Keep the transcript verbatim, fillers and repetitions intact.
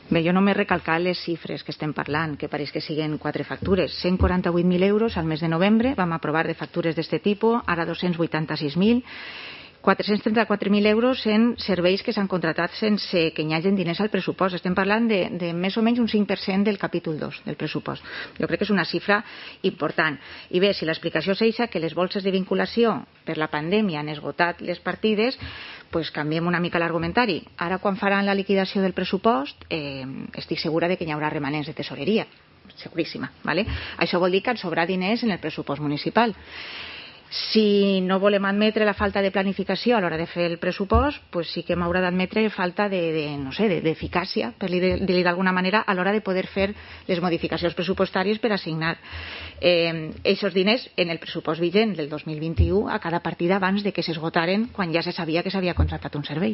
Bé, jo només recalcar les xifres que estem parlant, que pareix que siguen quatre factures. cent quaranta-vuit mil euros al mes de novembre, vam aprovar de factures d'aquest tipus, ara dos-cents vuitanta-sis mil, quatre-cents trenta-quatre mil euros en serveis que s'han contratat sense que hi hagin diners al pressupost. Estem parlant de, de més o menys un cinc per cent del capítol dos del pressupost. Jo crec que és una xifra important. I bé, si l'explicació és eixa, que les bolses de vinculació per la pandèmia han esgotat les partides, pues canviem una mica l'argumentari. Ara, quan faran la liquidació del pressupost, eh, estic segura de que hi haurà remanents de tesoreria. Seguríssima. ¿Vale? Això vol dir que ens sobrarà diners en el pressupost municipal. Si no volem admetre la falta de planificació a l'hora de fer el pressupost, pues sí que m'haurà d'admetre falta de, de no sé, d'eficàcia, per dir-li d'alguna manera, a l'hora de poder fer les modificacions pressupostàries per assignar eh, aquests diners en el pressupost vigent del dos mil vint-i-u a cada partida abans de que s'esgotaren quan ja se sabia que s'havia contractat un servei.